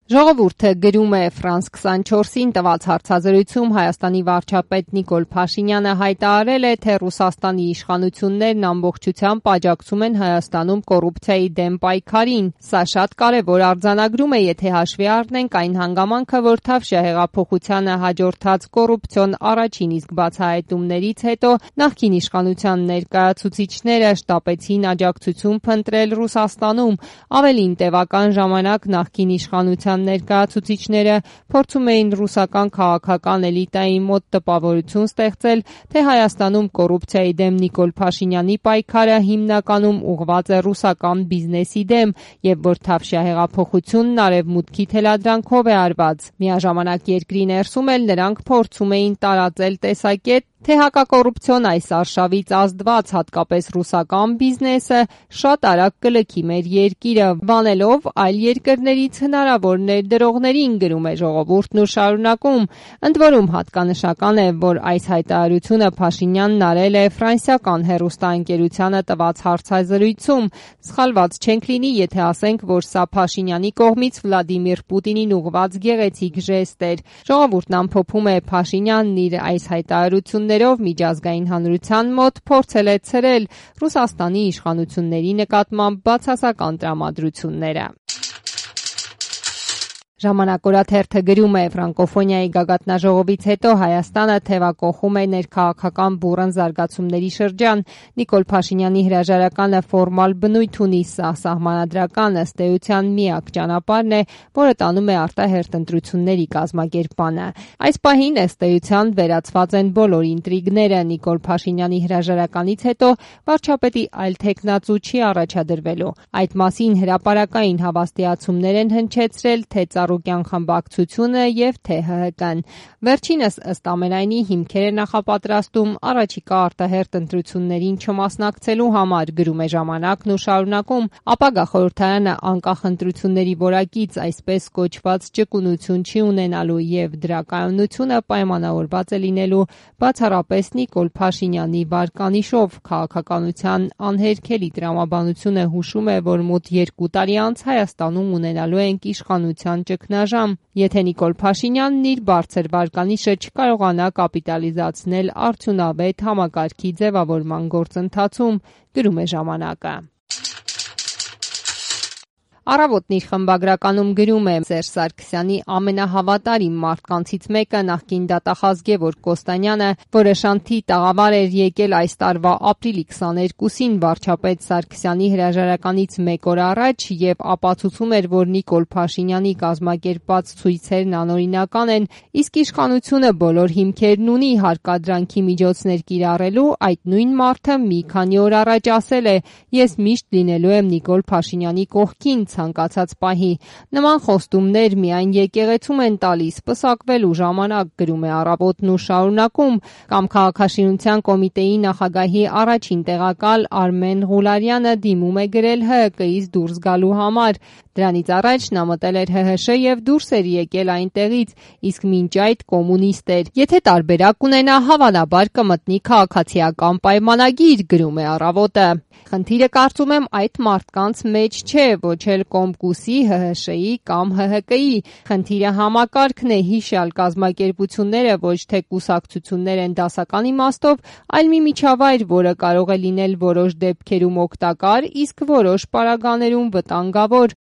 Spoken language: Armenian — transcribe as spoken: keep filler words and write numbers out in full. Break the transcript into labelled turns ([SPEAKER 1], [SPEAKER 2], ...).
[SPEAKER 1] Ժողովուրդը գրում է Ֆրանս քսանչորսին տված հարցազրույցում Հայաստանի վարչապետ Նիկոլ Փաշինյանը հայտարարել է, թե Ռուսաստանի իշխանություններն ամբողջությամբ աջակցում են Հայաստանում կոռուպցիայի դեմ պայքարին։ Սա շատ կարևոր արձանագրում է, եթե հաշվի առնենք այն հանգամանքը, որ Թավշյա հեղափոխությանը հաջորդած կոռուպցիոն առաջին իսկ բացահայտումներից հետո նախկին իշխանության ներկայացուցիչները շտապեցին աջակցություն փնտրել Ռուսաստանում։ Ավելին, տևական ժամանակ նախկին իշխանության ներկայացուցիչները փորձում էին ռուսական քաղաքական էլիտայի մոտ տպավորություն ստեղծել, թե Հայաստանում կոռուպցիայի դեմ Նիկոլ Փաշինյանի պայքարը հիմնականում ուղղված է ռուսական բիզնեսի դեմ և որ Թավշյա հեղափոխությունն արևմուտքի թելադրանքով է արված։ Միաժամանակ երկրի ներսում էլ նրանք փորձում էին տարածել տեսակետ, թե հակակոռուպցիոն այս արշավից ազդված, հատկապես ռուսական բիզնեսը, շատ արագ կլքի մեր երկիրը, վանելով այլ երկրներից հնարավոր ներդրողներին, գրում է Ժողովուրդն ու շարունակում։ Ընդ որում հատկանշական է, որ այս հայտարարությունը Փաշինյանն արել է ֆրանսիական հեռուստաընկերությանը տված հարցազրույցում։ Սխալված չենք լինի, եթե ասենք, որ սա Փաշինյանի կողմից Վլադիմիր Պուտինին ուղղված գեղեցիկ ժեստ էր։ Ժողովուրդն ամփոփում է, Փաշինյանն իր այս հայտարարություններով միջազգային հանրության մոտ փորձել է ցրել Ռուսաստանի իշխանությունների նկատմամբ բացասական տրամադրությունները։ Ժամանակ օրաթերթը գրում է. ֆրանկոֆոնիայի գագաթնաժողովից հետո Հայաստանը թևակողում է ներքաղաքական բուռն զարգացումների շրջան։ Նիկոլ Փաշինյանի հրաժարականը ֆորմալ բնույթ ունի, սա սահմանադրական ըստ էության միակ ճանապարհն է, որը տանում է արտահերթ ընտրությունների կազմակերպմանը։ Այս պահին ըստ էության վերացված են բոլոր ինտրիգները։ Նիկոլ Փաշինյանի հրաժարականից հետո վարչապետի այլ թեկնածու չի առաջադրվելու։ Այդ մասին հրապարակային հավաստիացումներ են հնչեցրել թե Ծառուկյան խմբակցությունը և թե ՀՀԿ-ն։ Վերջինս ըստ ամենայնի հիմքեր է նախապատրաստում առաջիկա արտահերթ ընտրություններին չմասնակցելու համար, գրում է Ժամանակն ու շարունակում. ապագա խորհրդարանը անկախ ընտրությունների որակից այսպես կոչված ճկունություն չի ունենալու և դրա կայունությունը պայմանավորված է լինելու բացառապես Նիկոլ Փաշինյանի վարկանիշով։ Քաղաքականության անհերքելի տրամաբանությունը հուշում է, որ մոտ երկու տարի անց Հայաստանում ունենալու ենք իշխանության ճգնաժամ, եթե Նիկոլ Փաշինյանն իր բարձր վարկանիշը չկարողանա կապիտալիզացնել արդյունավետ համակարգի ձևավորման գործընթացում, գրում է Ժամանակը։ Առավոտն իր խմբագրականում գրում է. Սերժ Սարգսյանի ամենահավատարիմ մարդկանցից մեկը նախկին դատախազ Գևորգ Կոստանյանը, որը Շանթի տաղավար էր եկել այս տարվա ապրիլի քսաներկուսին վարչապետ Սարգսյանի հրաժարականից մեկ օր առաջ և ապացուցում էր, որ Նիկոլ Փաշինյանի կազմակերպած ցույցերն անօրինական են, իսկ իշխանությունը բոլոր հիմքերն ունի հարկադրանքի միջոցներ կիրառելու, այդ նույն մարդը մի քանի օր առաջ ասել է. «Ես միշտ լինելու եմ Նիկոլ Փաշինյանի կողքին ցանկացած պահի»։ Նման խոստումներ միայն եկեղեցում են տալիս պսակվելու ժամանակ, գրում է Առավոտն ու շարունակում, կամ Քաղաքաշինության կոմիտեի նախագահի առաջին տեղակալ Արմեն Ղուլարյանը դիմում է գրել ՀՀԿ-ից դուրս գալու համար։ Դրանից առաջ նա մտել էր ՀՀՇ և դուրս էր եկել այնտեղից, իսկ մինչ այդ կոմունիստ էր։ Եթե տարբերակ ունենա, հավանաբար կմտնի քաղաքացիական պայմանագիր, գրում է Առավոտը։ Խնդիրը կարծում եմ այդ մարդկանց մեջ չէ, ոչ էլ Կոմկուսի, ՀՀՇ-ի կամ ՀՀԿ-ի։ Խնդիրը համակարգն է, հիշյալ կազմակերպությունները ոչ թե կուսակցություններ են դասական իմաստով, այլ մի միջավայր, որը կարող է լինել որոշ դեպքերում օգտակար, իսկ որոշ պարագաներում վտանգավոր։